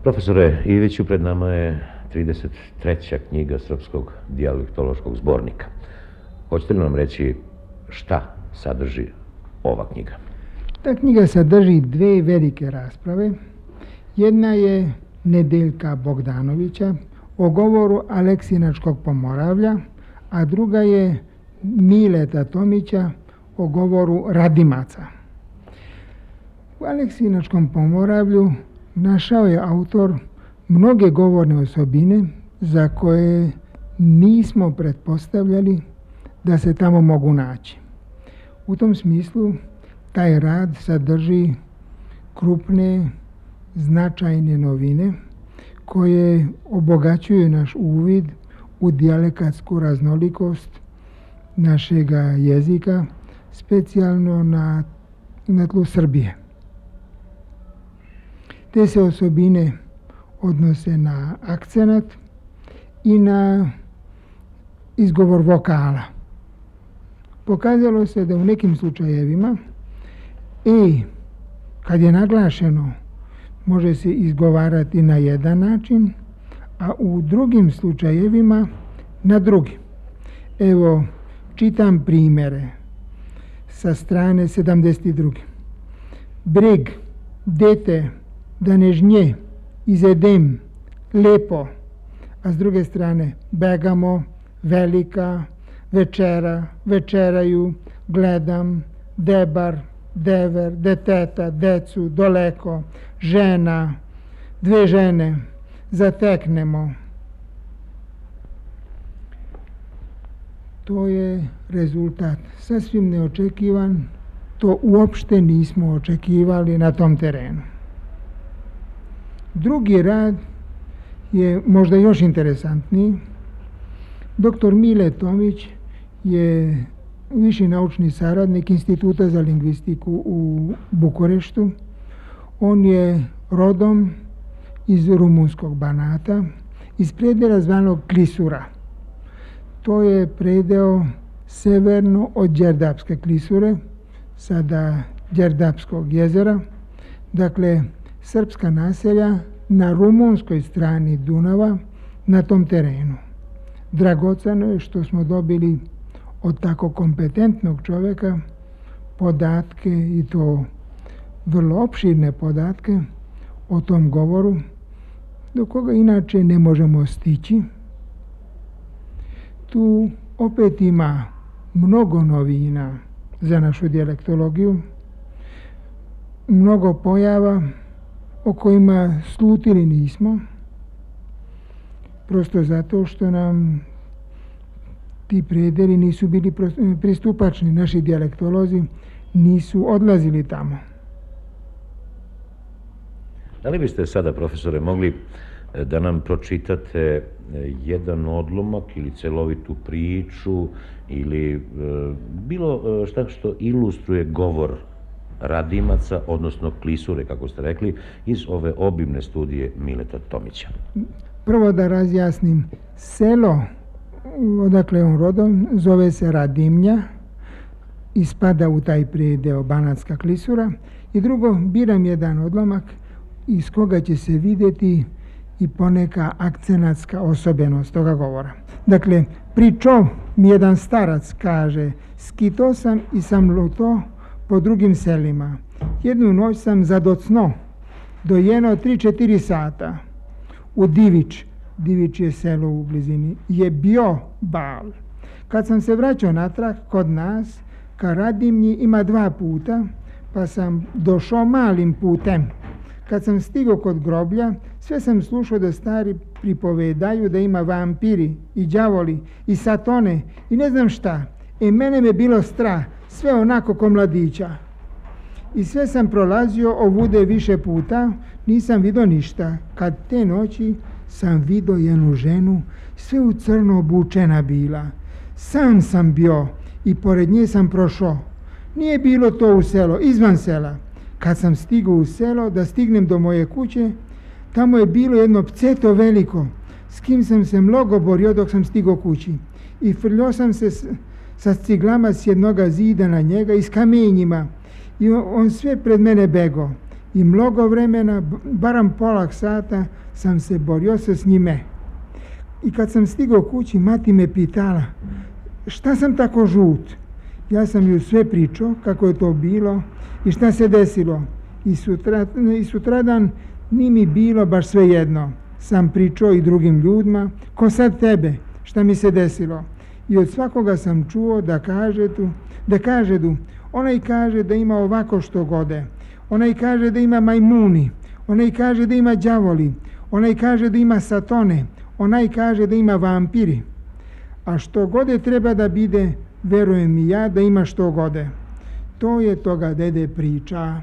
Profesore Iviću, pred nama je 33. knjiga Srpskog dijalektološkog zbornika. Hoćete li nam reći šta sadrži ova knjiga? Ta knjiga sadrži dve velike rasprave. Jedna je Nedeljka Bogdanovića o govoru Aleksinačkog Pomoravlja, a druga je Mileta Tomića o govoru Radimaca. U Aleksinačkom Pomoravlju našao je autor mnoge govorne osobine za koje nismo pretpostavljali da se tamo mogu naći. U tom smislu taj rad sadrži krupne, značajne novine koje obogaćuju naš uvid u dijalektsku raznolikost našega jezika, specijalno na tlu Srbije. Te se osobine odnose na akcenat i na izgovor vokala. Pokazalo se da u nekim slučajevima kad je naglašeno, može se izgovarati na jedan način, a u drugim slučajevima na drugi. Evo, čitam primjere sa strane 72. Breg, dete, da ne žnje, izedem, lepo, a s druge strane begamo, velika, večera, večeraju, gledam, debar, dever, deteta, decu, doleko, žena, dve žene, zateknemo. To je rezultat sasvim neočekivan, to uopšte nismo očekivali na tom terenu. Drugi rad je možda još interesantniji. Dr. Mile Tomić je viši naučni saradnik Instituta za lingvistiku u Bukureštu. On je rodom iz rumunskog Banata, iz predela zvanog Klisura. To je predeo severno od Đerdapske Klisure, sada Đerdapskog jezera. Dakle, srpska naselja na rumunskoj strani Dunava na tom terenu. Dragoceno je što smo dobili od tako kompetentnog čovjeka podatke, i to vrlo opširne podatke o tom govoru, do koga inače ne možemo stići. Tu opet ima mnogo novina za našu dijalektologiju, mnogo pojava o kojima slutili nismo, prosto zato što nam ti predeli nisu bili pristupačni. Naši dijalektolozi nisu odlazili tamo. Da li biste sada, profesore, mogli da nam pročitate jedan odlomak ili celovitu priču ili bilo šta što ilustruje govor Radimaca, odnosno Klisure, kako ste rekli, iz ove obimne studije Mileta Tomića? Prvo da razjasnim, selo odakle on rodom zove se Radimnja i spada u taj predeo Banatska Klisura. I drugo, biram jedan odlomak iz koga će se vidjeti i poneka akcenatska osobenost toga govora. Dakle, pričao mi jedan starac, kaže, skito sam i sam luto po drugim selima. Jednu noć sam zadocno, dojeno 3-4 sata. U Divić je selo u blizini, je bio bal. Kad sam se vraćao natrag kod nas, ka Radimnji ima 2 puta, pa sam došao malim putem. Kad sam stigao kod groblja, sve sam slušao da stari pripovedaju da ima vampiri i đavoli i satone i ne znam šta. Mene me bilo strah, sve onako ko mladića. I sve sam prolazio ovude više puta, nisam vidio ništa. Kad te noći sam vidio jednu ženu, sve u crno obučena bila. Sam sam bio i pored nje sam prošao. Nije bilo to u selo, izvan sela. Kad sam stigao u selo, da stignem do moje kuće, tamo je bilo jedno pceto veliko, s kim sam se mnogo borio dok sam stigao kući. I frljao sam se sa ciglama s jednoga zida na njega i s kamenjima. I on sve pred mene bego. I mnogo vremena, baram pola sata, sam se borio se s njime. I kad sam stigao kući, mati me pitala, šta sam tako žut? Ja sam ju sve pričao kako je to bilo i šta se desilo. I sutradan ni mi bilo baš sve jedno. Sam pričao i drugim ljudima, ko sad tebe, šta mi se desilo. I od svakoga sam čuo da kažedu, onaj kaže da ima ovako što gode, onaj kaže da ima majmuni, onaj kaže da ima đavoli, onaj kaže da ima satone, onaj kaže da ima vampiri. A što gode treba da bide, verujem i ja da ima što gode. To je toga dede priča.